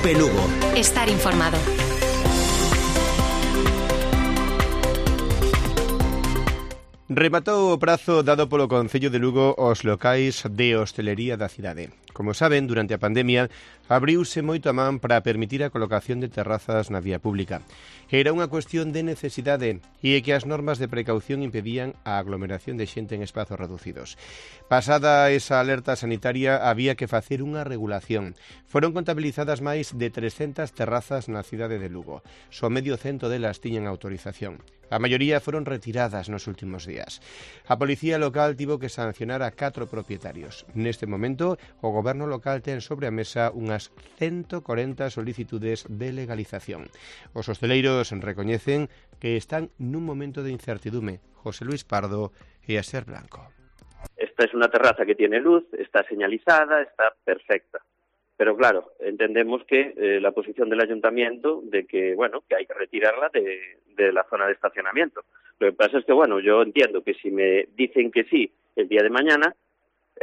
Equipe Lugo. Estar informado. Rematou o prazo dado polo Concello de Lugo aos locais de hostelería da cidade. Como saben, durante a pandemia abriuse moito a man para permitir a colocación de terrazas na vía pública. Era unha cuestión de necesidade e que as normas de precaución impedían a aglomeración de xente en espazos reducidos. Pasada esa alerta sanitaria, había que facer unha regulación. Foron contabilizadas máis de 300 terrazas na cidade de Lugo. Só medio cento delas tiñan autorización. A maioría foron retiradas nos últimos días. A policía local tivo que sancionar a 4 propietarios. Neste momento, o goberno local ten sobre a mesa unhas 140 solicitudes de legalización. Os hosteleiros recoñecen que están nun momento de incertidume. José Luis Pardo e Asier Blanco. Esta es una terraza que tiene luz, está señalizada, está perfecta. Pero claro, entendemos que la posición del ayuntamiento de que, bueno, que hay que retirarla de la zona de estacionamiento. Lo que pasa es que, bueno, yo entiendo que si me dicen que sí el día de mañana,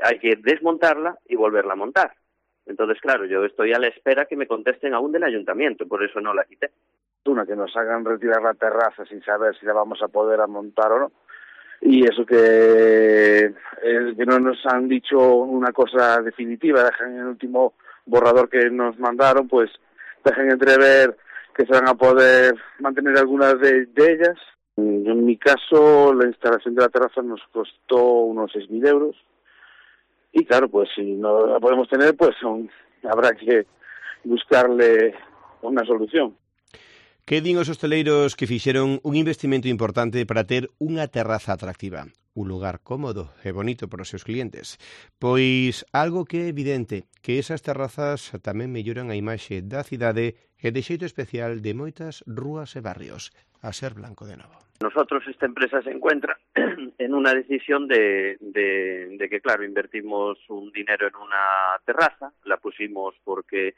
hay que desmontarla y volverla a montar. Entonces, claro, yo estoy a la espera que me contesten aún del ayuntamiento, por eso no la quité. Una, que nos hagan retirar la terraza sin saber si la vamos a poder montar o no. Y eso que no nos han dicho una cosa definitiva, dejan en el último borrador que nos mandaron, pues dejan entrever que se van a poder mantener algunas de ellas. En mi caso, la instalación de la terraza nos costó unos 6.000 euros. Y claro, pues si no la podemos tener, pues habrá que buscarle una solución. Que din os hosteleiros que fixeron un investimento importante para ter unha terraza atractiva, un lugar cómodo e bonito para os seus clientes? Pois algo que é evidente, que esas terrazas tamén melloran a imaxe da cidade e de xeito especial de moitas rúas e barrios. Asier Blanco de novo. Nosotros, esta empresa se encuentra en una decisión de que, claro, invertimos un dinero en una terraza, la pusimos porque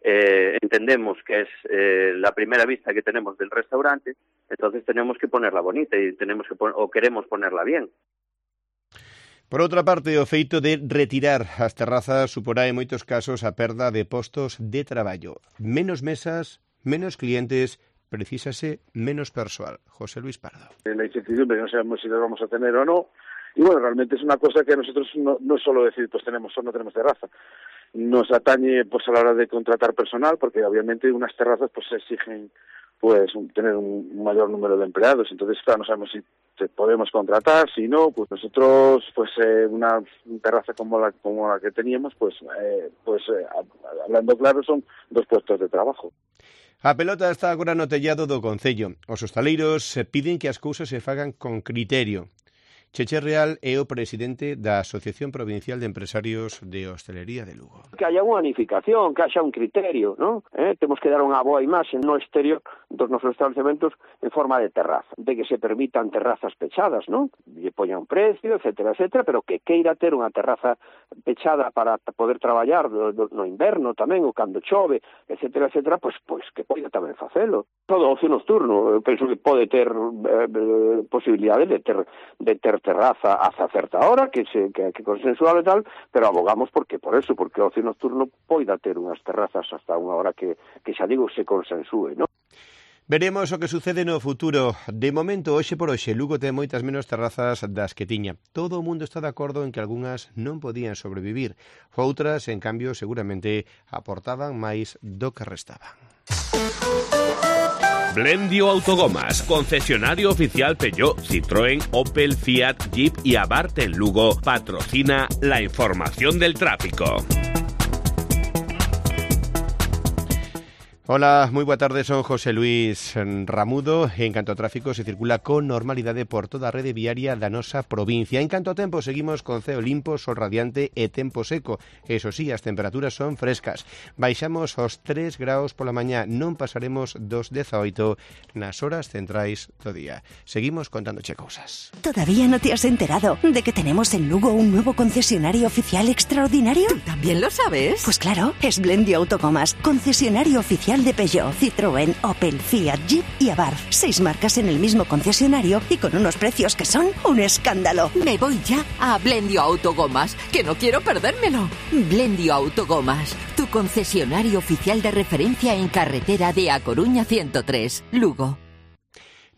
entendemos que es la primera vista que tenemos del restaurante, entonces tenemos que ponerla bonita y queremos ponerla bien. Por outra parte, o feito de retirar as terrazas suporá en moitos casos a perda de postos de traballo. Menos mesas, menos clientes, precisase menos persoal. José Luis Pardo. La incertidumbre, no sabemos si las vamos a tener o no. Y bueno, realmente es una cosa que a nosotros no es solo decir, pues tenemos o no tenemos terraza. Nos atañe pues a la hora de contratar personal, porque obviamente unas terrazas pues exigen pues tener un mayor número de empleados. Entonces, claro, no sabemos si podemos contratar, si no, pues nosotros pues una terraza como la que teníamos, hablando claro, son 2 puestos de trabajo. A pelota está agora no tellado do Concello. Os hostaleiros piden que as cousas se fagan con criterio. Cheche Real é o presidente da Asociación Provincial de Empresarios de Hostelería de Lugo. Que haya unha unificación, que haya un criterio, ¿no? Temos que dar unha boa imaxe no exterior dos nosos estabelecementos en forma de terraza, de que se permitan terrazas pechadas, ¿no? Lle poña un precio, etcétera, etcétera, pero que queira ter unha terraza pechada para poder traballar no inverno tamén, ou cando chove, etcétera, etcétera, pues que poida tamén facelo. Todo ocio nocturno, eu penso que pode ter posibilidades de ter terraza hasta certa hora, que consensual e tal, pero abogamos porque o ocio nocturno poida ter unhas terrazas hasta unha hora que xa digo, se consensúe, non? Veremos o que sucede no futuro. De momento, hoxe por hoxe, Lugo ten moitas menos terrazas das que tiña. Todo o mundo está de acordo en que algunhas non podían sobrevivir. Outras, en cambio, seguramente aportaban máis do que restaban. Blendio Autogomas, concesionario oficial Peugeot, Citroën, Opel, Fiat, Jeep y Abarth en Lugo, patrocina la información del tráfico. Hola, moi boa tarde, son José Luis Ramudo. En canto ao tráfico, se circula con normalidade por toda a rede viaria da nosa provincia. En canto ao tempo, seguimos con ceo limpo, sol radiante e tempo seco. Eso sí, as temperaturas son frescas. Baixamos aos 3 graus pola mañá, non pasaremos dos 18 nas horas centrais do día. Seguimos contándoche cousas. ¿Todavía no te has enterado de que tenemos en Lugo un nuevo concesionario oficial extraordinario? ¿Tú también lo sabes? Pues claro, es Blendio Autogomas, concesionario oficial de Peugeot, Citroën, Opel, Fiat, Jeep y Abarth. 6 marcas en el mismo concesionario y con unos precios que son un escándalo. Me voy ya a Blendio Autogomas, que no quiero perdérmelo. Blendio Autogomas, tu concesionario oficial de referencia en carretera de A Coruña 103, Lugo.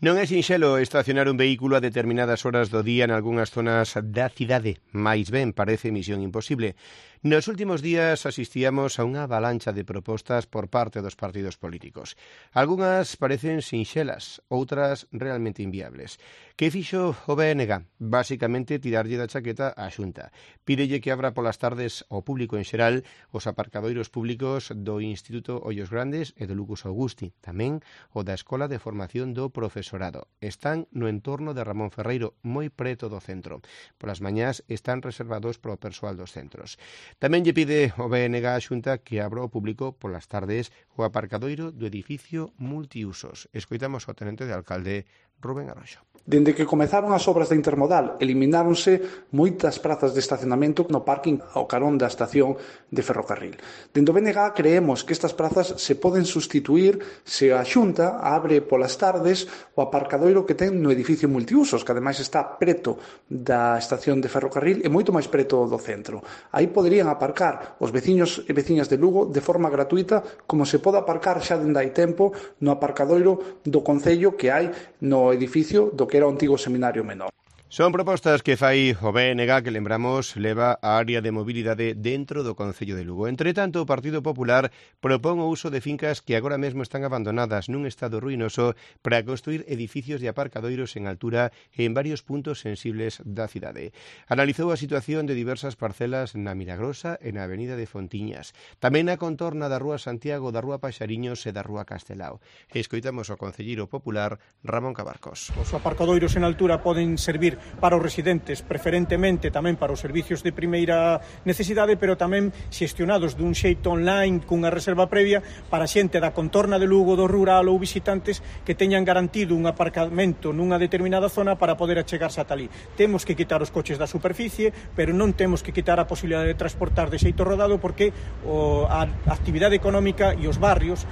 Non é sinxelo estacionar un vehículo a determinadas horas do día en algunhas zonas da cidade, máis ben parece misión imposible. Nos últimos días asistíamos a unha avalancha de propostas por parte dos partidos políticos. Algunhas parecen sinxelas, outras realmente inviables. Que fixo o BNG? Basicamente tirarlle da chaqueta á Xunta. Pídelle que abra polas tardes ao público en xeral os aparcadoiros públicos do Instituto Ollos Grandes e do Lucas Augusti, tamén o da Escola de Formación do Profesorado. Están no entorno de Ramón Ferreiro, moi preto do centro. Polas mañás están reservados para o persoal dos centros. Tamén lle pide o BNG á Xunta que abra ao público polas tardes o aparcadoiro do edificio multiusos. Escoitamos ao tenente de alcalde Rubén Arroxo. Dende que comezaron as obras da intermodal, elimináronse moitas prazas de estacionamento no parking ao carón da estación de ferrocarril. Dende o BNG creemos que estas prazas se poden sustituir se a Xunta abre polas tardes o aparcadoiro que ten no edificio multiusos, que ademais está preto da estación de ferrocarril e moito máis preto do centro. Aí poderían aparcar os veciños e veciñas de Lugo de forma gratuita, como se pode aparcar xa dende hai tempo no aparcadoiro do Concello que hai no edificio do que era o antigo seminario menor. Son propostas que fai o BNG que, lembramos, leva a área de mobilidade dentro do Concello de Lugo. Entre tanto, o Partido Popular propón o uso de fincas que agora mesmo están abandonadas nun estado ruinoso para construir edificios de aparcadoiros en altura en varios puntos sensibles da cidade. Analizou a situación de diversas parcelas na Milagrosa e na Avenida de Fontiñas, tamén na contorna da Rúa Santiago, da Rúa Paxariños e da Rúa Castelao. Escoitamos ao concelleiro popular Ramón Cabarcos. Os aparcadoiros en altura poden servir para os residentes, preferentemente tamén para os servicios de primeira necesidade, pero tamén xestionados dun xeito online cunha reserva previa para xente da contorna de Lugo, do rural ou visitantes que teñan garantido un aparcamento nunha determinada zona para poder achegarse ata ali. Temos que quitar os coches da superficie, pero non temos que quitar a posibilidade de transportar de xeito rodado porque a actividade económica e os barrios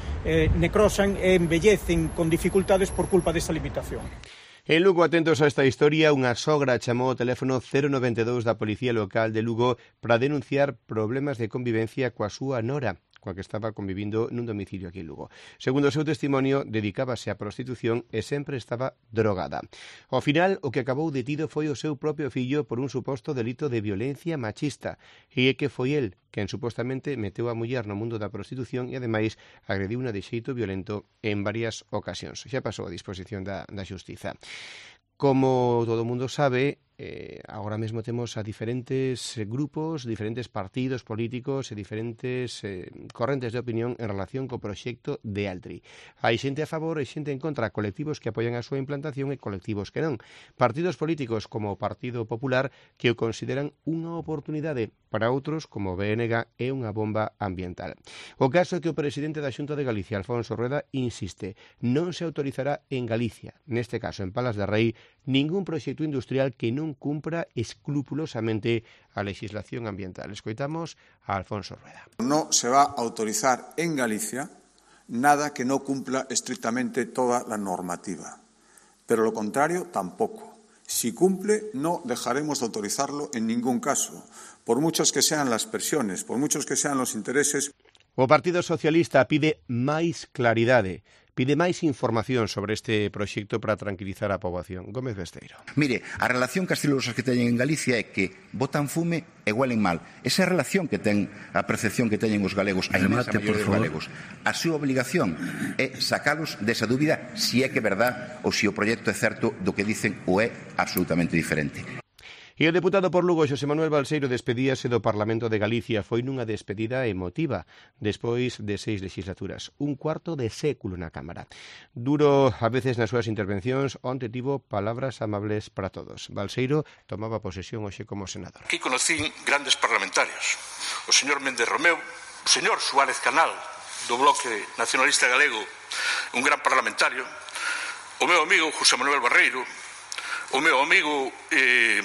necrosan e envellecen con dificultades por culpa desta limitación. En Lugo, atentos a esta historia, unha sogra chamou o teléfono 092 da Policía Local de Lugo para denunciar problemas de convivencia coa súa nora, coa que estaba convivindo nun domicilio aquí en Lugo. Segundo o seu testimonio, dedicábase á prostitución e sempre estaba drogada. Ao final, o que acabou detido foi o seu propio fillo por un suposto delito de violencia machista, e é que foi el quen supostamente meteu a muller no mundo da prostitución e, ademais, agrediu-na de xeito violento en varias ocasións. Xa pasou a disposición da Xustiza. Como todo o mundo sabe, agora mesmo temos a diferentes grupos, diferentes partidos políticos e diferentes correntes de opinión en relación co proxecto de Altri. Hai xente a favor e xente en contra, colectivos que apoian a súa implantación e colectivos que non. Partidos políticos como o Partido Popular que o consideran unha oportunidade, para outros como o BNG é unha bomba ambiental. O caso é que o presidente da Xunta de Galicia, Alfonso Rueda, insiste, non se autorizará en Galicia, neste caso en Palas de Rei, ningún proxecto industrial que non cumpra escrupulosamente a legislación ambiental. Escoitamos a Alfonso Rueda. No se va a autorizar en Galicia nada que no cumpla estrictamente toda la normativa, pero lo contrario tampoco. Si cumple, no dejaremos de autorizarlo en ningún caso, por muchas que sean las presiones, por muchos que sean los intereses. O Partido Socialista pide máis claridade, pide máis información sobre este proxecto para tranquilizar a poboación. Gómez Besteiro. Mire, a relación castilosas que teñen en Galicia é que botan fume e huelen mal. Esa é a relación que ten, a percepción que teñen os galegos, a inmensa maioría dos galegos. A súa obligación é sacalos desa dúbida se é que é verdad ou se o proxecto é certo do que dicen ou é absolutamente diferente. E o deputado por Lugo, Xosé Manuel Balseiro, despedíase do Parlamento de Galicia. Foi nunha despedida emotiva, despois de 6 legislaturas. Un cuarto de século na Cámara. Duro a veces nas súas intervencións, onte tivo palabras amables para todos. Balseiro tomaba posesión hoxe como senador. Aquí conocín grandes parlamentarios. O señor Méndez Romeu, o señor Suárez Canal, do Bloque Nacionalista Galego, un gran parlamentario, o meu amigo José Manuel Barreiro, o meu amigo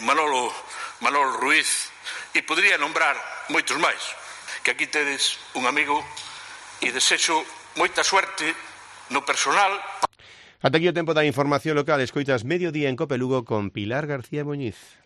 Manolo Ruiz, e podría nombrar moitos máis, que aquí tedes un amigo e desexo moita suerte no personal. Ata aquí o tempo da información local. Escoitas Mediodía en Cope Lugo con Pilar García Muñiz.